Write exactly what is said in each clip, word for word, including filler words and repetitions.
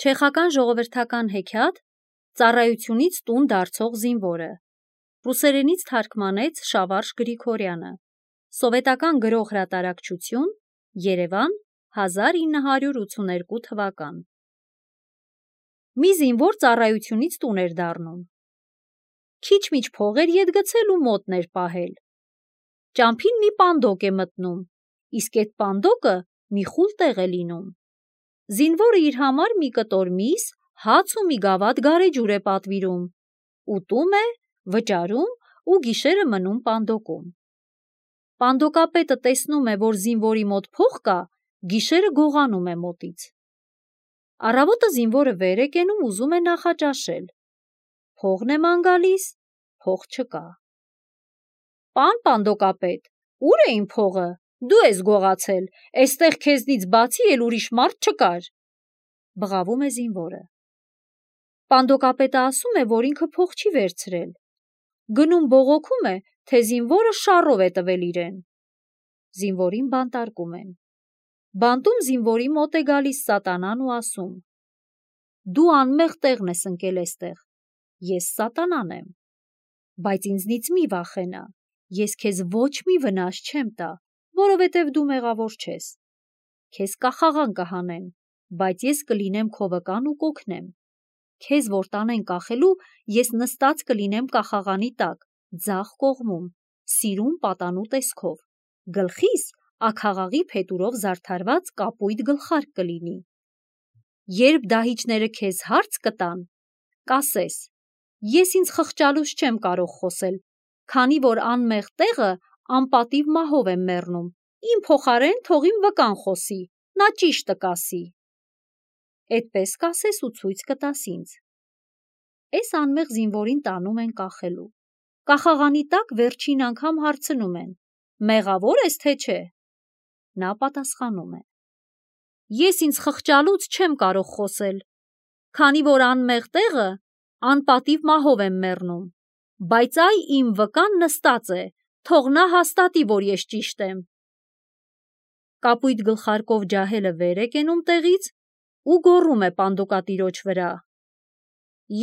Չեխական ժողովրդական հեքիաթ «Ծառայությունից տուն դարձող զինվորը» ռուսերենից թարգմանեց Շավարժ Գրիգորյանը, սովետական գրող հրատարակչություն, Երևան, հազար ինը հարյուր ութսուներկու թվական։ Մի զինվոր ծառայությունից տուն էր դառնում։ Քիչ-միչ փող էր ետ գցել ու մոտն էր պահել։ Ճամփին մի պանդոկ է մտնում, իսկ էդ պանդոկը մի խուլ տեղ է լինում։ Զինվորը իր համար մի կտոր միս, հաց ու մի գավաթ գարեջուր է պատվիրում, ուտում է, վճարում ու գիշերը մնում պանդոկում։ Պանդոկապետը տեսնում է, որ զինվորի մոտ փող կա, գիշերը գողանում է մոտից։ Առավոտը զինվորը վեր է կենում, ուզում է նախաճաշել։ Փողն է ման գալիս, փող չկա։ Պան պանդոկապետ, ուր է իմ փողը, դու ես գողացել, էստեղ քեզնից բացի էլ ուրիշ մարդ չկար, բղավում է զինվորը։ Պանդոկապետը ասում է, որ ինքը փող չի վերցրել։ Գնում բողոքում է, թե զինվորը շառով է տվել իրեն։ Զինվորին բանտարկում են։ Բանտում զինվորի մոտ է գալիս սատանան ու ասում. «Դու անմեղ տեղն ես ընկել էստեղ, ես սատանան եմ, բայց ինձնից մի վախենա, ես քեզ ոչ մի վնաս չեմ տա, որովհետև դու մեղավոր չես։ Քեզ կախաղան կհանեն, բայց ես կլինեմ քո վկան ու կօգնեմ։ Քեզ որ տանեն կախելու, ես նստած կլինեմ կախաղանի տակ, ձախ կողմում, սիրուն պատանու տեսքով, գլխիս աքաղաղի փետուրով զարդարված կապույտ գլխարկ կլինի։ Երբ դահիճները քեզ հարց կտան, կասես. ես ինձ խղճալուց չեմ կարող խոսել, քանի որ անմեղ տեղը անպատիվ մահով եմ մեռնում, իմ փոխարեն թող իմ վկան խոսի, նա ճիշտը կասի։ Էդպես կասես ու ցույց կտաս ինձ։ Էս անմեղ զինվորին տանում են կախելու։ Կախաղանի տակ վերջին անգամ հարցնում են. մեղավոր ես թե չէ։ Նա պատասխանում է. ես ինձ խղճալուց չեմ կարող խոսել, քանի որ անմեղ տեղը անպատիվ մահով եմ մեռնում, բայց այ իմ վկան նստած է, թող նա հաստատի, որ ես ճիշտ եմ։ Կապույտ գլխարկով ջահելը վեր է կենում տեղից ու գոռում է պանդոկատիրոջ վրա.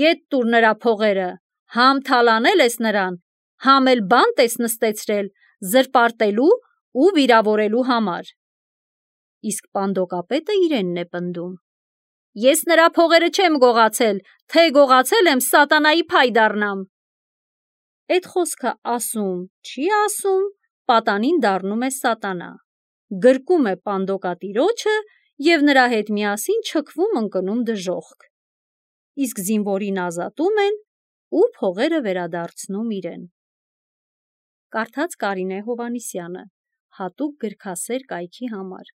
«Ետ տուր նրա փողերը, համ թալանել ես նրան, համ էլ բանտ ես նստեցրել զրպարտելու ու վիրավորելու համար»։ Իսկ պանդոկապետը իրենն է պնդում. «Ես նրա փողերը չեմ գողացել, թե գողացել եմ, սատանայի փայ դառնամ»։ Էդ խոսքը ասում, չի ասում, պատանին դառնում է սատանա, գրկում է պանդոկատիրոջը և նրա հետ միասին չքվում ընկնում դժոխք։ Իսկ զինվորին ազատում են ու փողերը վերադարձնում իրեն։ Կարդաց Կարինե Հովհաննիսյանը, հատուկ գրքասեր կայքի համար։